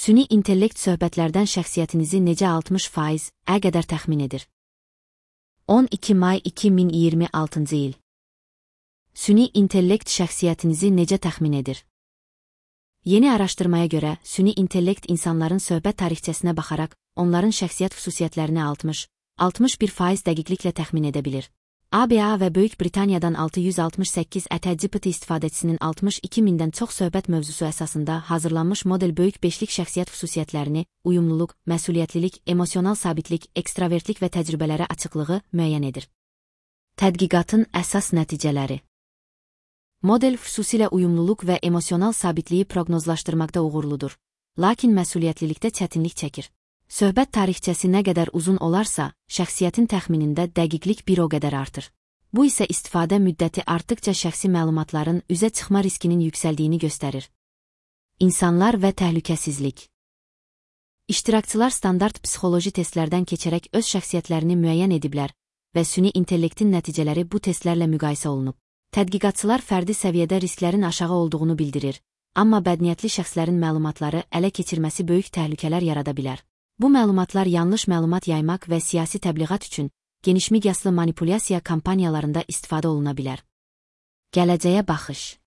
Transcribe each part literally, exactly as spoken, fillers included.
Süni intellekt söhbətlərdən şəxsiyyətinizi necə altmış faiz-ə qədər təxmin edir? on iki may iki min iyirmi altıncı il. Süni intellekt şəxsiyyətinizi necə təxmin edir? Yeni araşdırmaya görə, süni intellekt insanların söhbət tarixçəsinə baxaraq, onların şəxsiyyət xüsusiyyətlərini altmış altmış bir faiz dəqiqliklə təxmin edə bilir. A B A və Böyük Britaniyadan altı yüz altmış səkkiz ət G P T istifadəçisinin altmış iki mindən çox söhbət mövzusu əsasında hazırlanmış model böyük beşlik şəxsiyyət xüsusiyyətlərini, uyumluluq, məsuliyyətlilik, emosional sabitlik, ekstravertlik və təcrübələrə açıqlığı müəyyən edir. Tədqiqatın əsas nəticələri. Model xüsusilə uyumluluq və emosional sabitliyi proqnozlaşdırmaqda uğurludur, lakin məsuliyyətlilikdə çətinlik çəkir. Söhbət tarixçəsi nə qədər uzun olarsa, şəxsiyyətin təxminində dəqiqlik bir o qədər artır. Bu isə istifadə müddəti artdıqca şəxsi məlumatların üzə çıxma riskinin yüksəldiyini göstərir. İnsanlar və təhlükəsizlik. İştirakçılar standart psixoloji testlərdən keçərək öz şəxsiyyətlərini müəyyən ediblər və süni intellektin nəticələri bu testlərlə müqayisə olunub. Tədqiqatçılar fərdi səviyyədə risklərin aşağı olduğunu bildirir, amma bədniyyətli şəxslərin məlumatları ələ keçirməsi böyük təhlükələr yarada bilər. Bu məlumatlar yanlış məlumat yaymaq və siyasi təbliğat üçün genişmiqyaslı manipulyasiya kampaniyalarında istifadə oluna bilər. Gələcəyə baxış.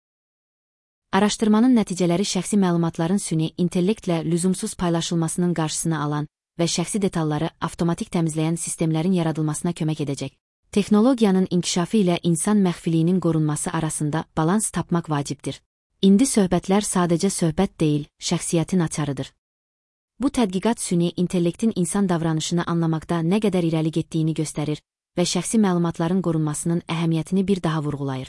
Araşdırmanın nəticələri şəxsi məlumatların süni intellektlə lüzumsuz paylaşılmasının qarşısını alan və şəxsi detalları avtomatik təmizləyən sistemlərin yaradılmasına kömək edəcək. Texnologiyanın inkişafı ilə insan məxfiliyinin qorunması arasında balans tapmaq vacibdir. İndi söhbətlər sadəcə söhbət deyil, şəxsiyyətin açarıdır. Bu tədqiqat süni intellektin insan davranışını anlamaqda nə qədər irəli getdiyini göstərir və şəxsi məlumatların qorunmasının əhəmiyyətini bir daha vurğulayır.